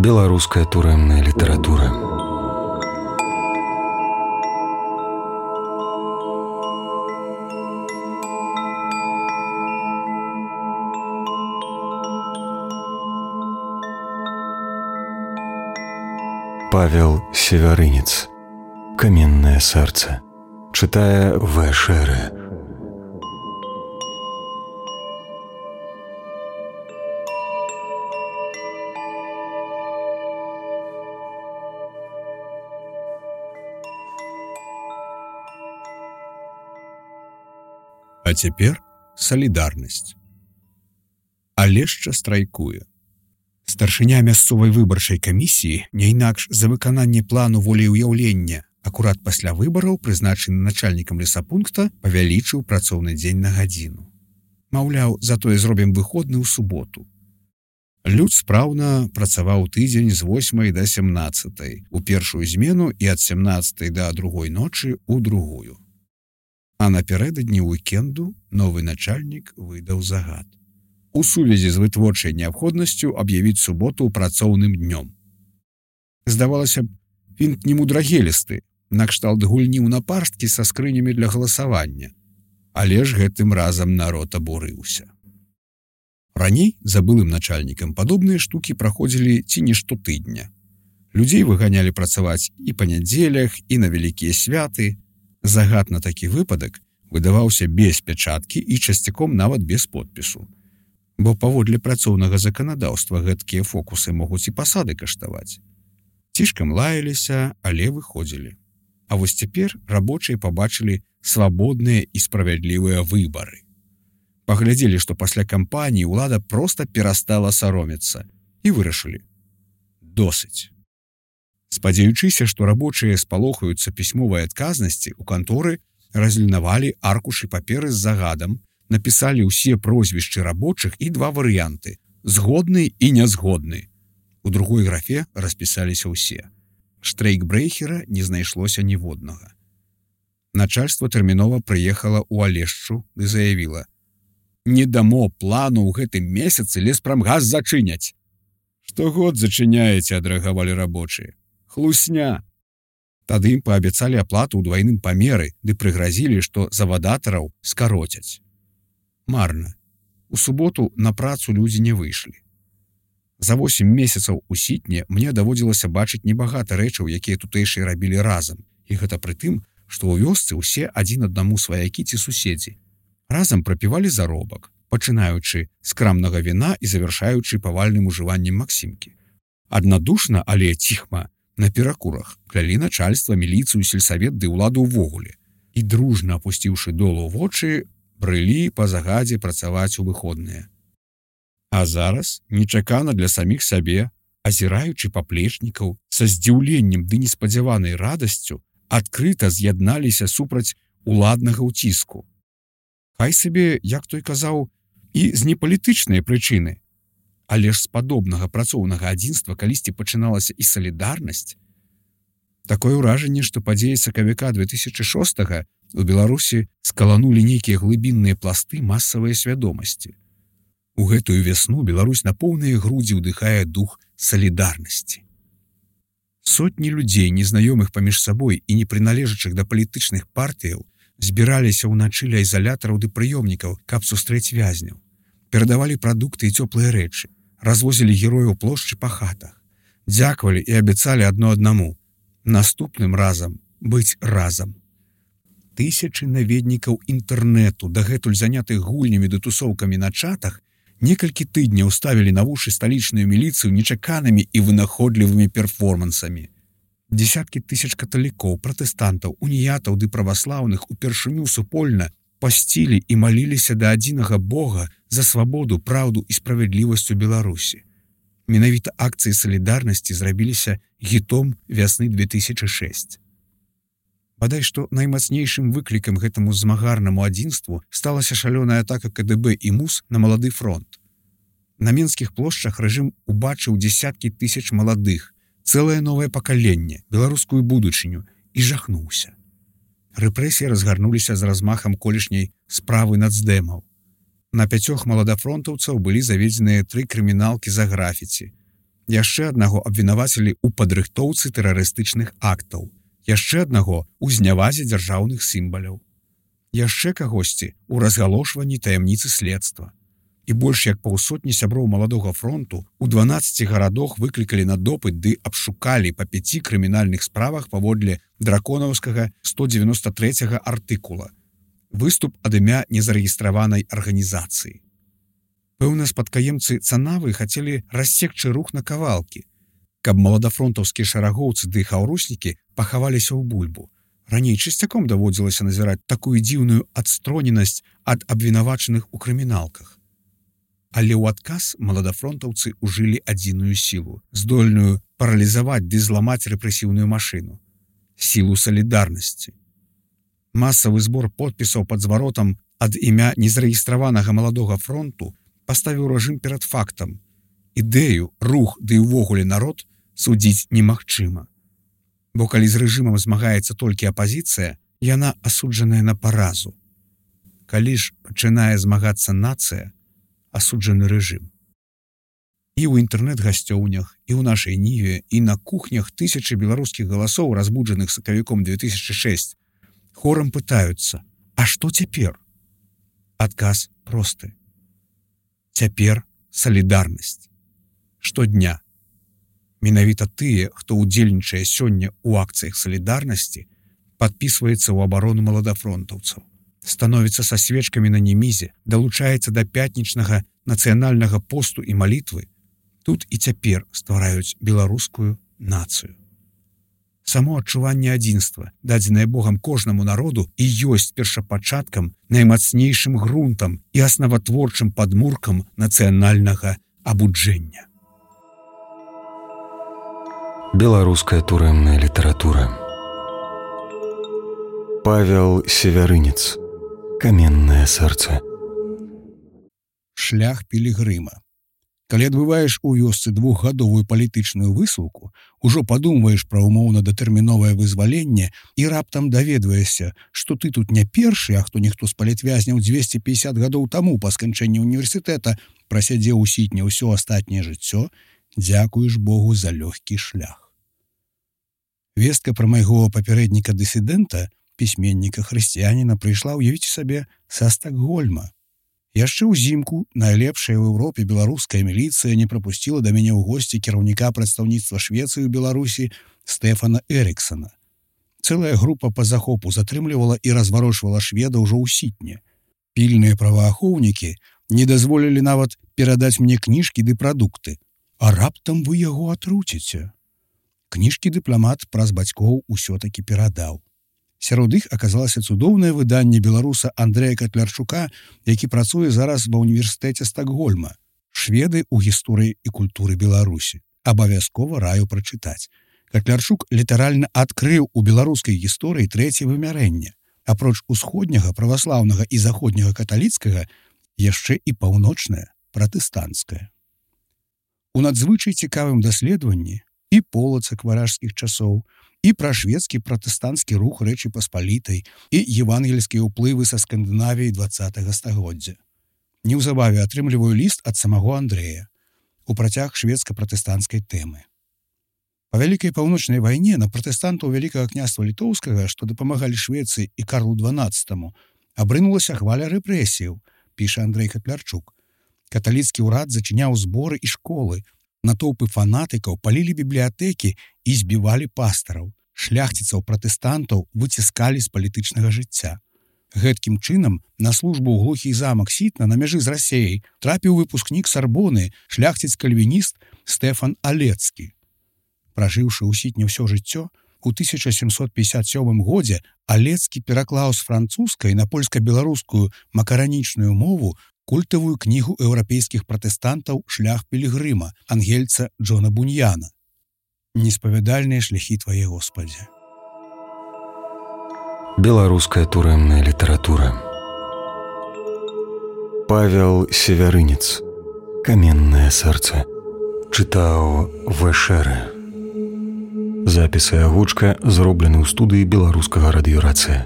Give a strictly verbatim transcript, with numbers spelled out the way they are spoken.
Беларуская турэмная літаратура. Павел Севярынец. Каменное сердце. Читая В. Шеры. А цяпер салідарнасць. Алешча страйкуе. Старшыня мясцовай выбарчай камісіі, не інакш за выкананне плану волеўяўлення, акурат пасля выбараў, прызначаны начальнікам лесапункта, павялічыў працоўны дзень на гадзіну. Маўляў, затое зробім выходны ў суботу. Люд спраўна працаваў тыдзень з восьмай да сямнаццатай, у першую змену і ад сямнаццатай да другой ночы ў другую. А напярэдадні уікенду новы начальнік выдаў загад. У сувязі з вытворчай неабходнасцю аб'явіць суботу працоўным днём. Здавалася б, вінт не мудрагелісты, накшталт гульні ў напарсткі са скрынямі для галасавання. Але ж гэтым разам народ абурыўся. Раней за былым начальнікам падобныя штукі праходзілі ці не штотыдня. Людзей выганялі працаваць і па нядзелях, і на вялікія святы. Загад на такі выпадак выдаваўся без пячаткі і часцяком нават без подпісу. Бо паводле працоўнага заканадаўства гэткія фокусы могуць і пасады каштаваць. Цішкам лаяліся, але выходзілі. А вось цяпер рабочыя пабачылі свабодныя і справядлівыя выбары. Паглядзелі, што пасля кампаніі ўлада проста перастала саромецца і вырашылі. Досыць. Спадзяючыся, што рабочыя спалохаюцца пісьмовай адказнасці, у канторы разлінавалі аркушы паперы з загадам, напісалі ўсе прозвішчы рабочых і два варыянты – згодны і нязгодны. У другой графе распісаліся ўсе. Штрейкбрэхера не знайшлося ніводнага. Начальства тэрмінова прыехала ў Алешчу і заявіла: «Не дамо плану ў гэтым месяцы леспрамгас зачыняць». «Штогод зачыняеце», – адрэагавалі рабочыя. Хлусня. Тады ім паабяцалі аплату ў двайным памеры ды прыгразілі, што завадатараў скароцяць. Марна. У суботу на працу людзі не выйшлі. За восем месяцаў у сітне мне даводзілася бачыць небагата рэчаў, якія тутэйшыя рабілі разам. І гэта пры тым, што ў вёсцы ўсе адзін аднаму сваякі ці суседзі. Разам прапівалі заробак, пачынаючы з крамнага віна і завяршаючы павальным ужываннем максімкі. Аднадушна, але ціхма, на перакурах клялі начальства, міліцыю, сельсавет ды ўладу ўвогуле. І дружна апусціўшы долу вочы, брылі па загадзе працаваць у выходныя. А зараз, нечакана для саміх сабе, азіраючы паплечнікаў, са здзіўленнем ды неспадзяванай радасцю, адкрыта з'ядналіся супраць уладнага ўціску. Хай сабе, як той казаў, і з непалітычнай прычыны. Але ж з падобнага працоўнага адзінства калісьці пачыналася і салідарнасць. Такое ўражанне, што падзеі сакавіка две тысячы шостага у Беларусі скаланулі нейкія глыбінныя пласты масавай свядомасці. У гэтую вясну Беларусь на поўныя грудзі ўдыхае дух салідарнасці. Сотні людзей, незнаёмых паміж сабой і не прыналежачых да палітычных партыяў, збіраліся ўначы ля ізалятараў ды прыёмнікаў, каб сустрэць вязняў. Перадавалі прадукты і цёплыя рэчы, развозілі герояў плошчы па хатах, дзякавалі і абяцалі адно аднаму наступным разам быць разам. Тысячы наведнікаў інтэрнэту, дагэтуль занятых гульнямі ды тусоўкамі на чатах, некалькі тыдняў ставілі на вушы сталічную міліцыю нечаканымі і вынаходлівымі перформансамі. Дзесяткі тысяч каталікоў, пратэстантаў, уніятаў ды праваслаўных упершыню супольна пасцілі і маліліся да адзінага Бога за свабоду, праўду і справядлівасць у Беларусі. Менавіта акцыі салідарнасці зрабіліся гітом вясны две тысячы шэсць. Бадай што наймацнейшым выклікам гэтаму змагарнаму адзінству сталася шалёная атака ка дэ бэ і МУС на малады фронт. На менскіх плошчах рэжым убачыў дзесяткі тысяч маладых, цэлае новае пакаленне, беларускую будучыню, і жахнуўся. Рэпрэсіі разгарнуліся з размахам колішняй справы нацдэмаў. На пяцёх маладафронтаўцаў былі заведзеныя тры крыміналкі за графіці. Яшчэ аднаго абвінавацілі ў падрыхтоўцы тэрарыстычных актаў. Яшчэ аднаго ў знявазе дзяржаўных сімваляў. Яшчэ кагосьці ў разгалошванні таямніцы следства. І больш як паўсотні сяброў маладога фронту у дванаццаці гарадах выклікалі на допыт ды абшукалі па пяці крымінальных справах паводле драконаўскага сто девяносто третьего артыкула. Выступ ад імя незарэгістраванай арганізацыі. Пэўна, спадкаемцы Цанавы хацелі рассекчы рух на кавалкі, каб маладафронтаўскія шарагоўцы ды хаўруснікі пахаваліся ў бульбу. Раней часцяком даводзілася назіраць такую дзіўную адстроненасць ад абвінавачаных у крыміналках. Але ў адказ маладафронтаўцы ўжылі адзіную сілу, здольную паралізаваць ды зламаць рэпрэсіўную машыну. Сілу салідарнасці. Масавы збор подпісаў пад зваротам ад імя незарэгістраванага маладога фронту паставіў рэжым перад фактам. Ідэю, рух ды ўвогуле народ судзіць немагчыма. Бо калі з рэжымам змагаецца толькі апазіцыя, яна асуджаная на паразу. Калі ж пачынае змагацца нацыя, асуджаны рэжым. І ў інтэрнэт-гасцёўнях, і ў нашай ніве, і на кухнях тысячы беларускіх галасоў, разбуджаных сакавіком две тысячи шестой, хорам пытаюцца: а што цяпер? Адказ просты. Цяпер салідарнасць. Штодня. Менавіта тыя, хто ўдзельнічае сёння ў акцыях салідарнасці, падпісваецца ў абарону маладафронтаўцаў, становіцца са свечкамі на немізе, далучаецца да пятнічнага нацыянальнага посту і малітвы, тут і цяпер ствараюць беларускую нацыю. Само адчуванне адзінства, дадзенае Богам кожнаму народу, і ёсць першапачаткам, наймацнейшым грунтам і аснаватворчым падмуркам нацыянальнага абуджэння. Беларуская турэмная літаратура. Павел Севярынец. Каменнае сэрца. Шлях пілігрыма. Калі адбываеш у вёсцы двухгадовую палітычную высылку, ужо падумваеш пра умоўна-датэрміновае вызваленне і раптам даведваешся, што ты тут не першы, а хто ніхто з палітвязняў дзвесце пятьдесят гадоў таму па сканчэнні універсітэта прасядзеў у сітне ўсё астатняе жыццё, дзякуеш Богу за лёгкі шлях. Вестка пра майго папярэдніка-дысідэнта, пісьменніка-хрысціяніна, прыйшла, уявіце сабе, са Стакгольма. Яшчэ ўзімку найлепшая ў Еўропе беларуская міліцыя не прапусціла да мяне ў госці кіраўніка прадстаўніцтва Швецыі ў Беларусі Стэфана Эріксана. Цэлая група па захопу затрымлівала і разварочвала шведа ўжо ў сітне. Пільныя праваахоўнікі не дазволілі нават перадаць мне кніжкі ды прадукты. А раптам вы яго атруціце. Кніжкі дыпламат праз бацькоў усё-такі перадаў. Сярод іх аказалася цудоўнае выданне беларуса Андрэя Катлярчука, які працуе зараз ва ўніверсітэце Стакгольма. Шведы ў гісторыі і культуры Беларусі. Абавязкова раю прачытаць. Катлярчук літаральна адкрыў у беларускай гісторыі трэцяе вымярэнне. Апроч усходняга, праваслаўнага і заходняга каталіцкага, яшчэ і паўночнае, пратэстанцкае. У надзвычай цікавым даследаванні і полацак варажскіх часоў, і пра шведскі пратэстанцкі рух Рэчы Паспалітай і евангельскія ўплывы са Скандынавіі двадцатага стагоддзя. Неўзабаве атрымліваю ліст ад самого Андрэя у працяг шведска-пратэстанцкай тэмы. Па Вялікай паўночнай вайне на пратэстантаў Вялікага княства Літоўскага, што дапамагалі Швецыі і Карлу дванаццатаму, абрынулася хваля рэпрэсіяў, піша Андрэй Катлярчук. Каталіцкі ўрад зачыняў зборы і школы, натоўпы фанатыкаў палілі бібліятэкі і збівалі пастараў. Шляхціцаў-пратэстантаў выціскалі з палітычнага жыцця. Гэткім чынам на службу ў глухі замак Сітна на мяжы з Расеяй трапіў выпускнік Сарбоны, шляхціц-кальвініст Стэфан Алецкі. Пражыўшы ў Сітне ўсё жыццё, у тысяча сямсот пятьдесят сёмым годзе Алецкі пераклаў з французскай на польска-беларускую макаранічную мову культавую кнігу еўрапейскіх пратэстантаў «Шлях пілігрыма» ангельца Джона Буньяна. Неспавядальныя шляхі твае, Господзе. Беларуская турэмная літаратура. Павел Севярынец. Каменнае сэрца. Чытаў Вэшэрэ. Запіс і агучка зроблены ў студыі беларускага радыёрацыя.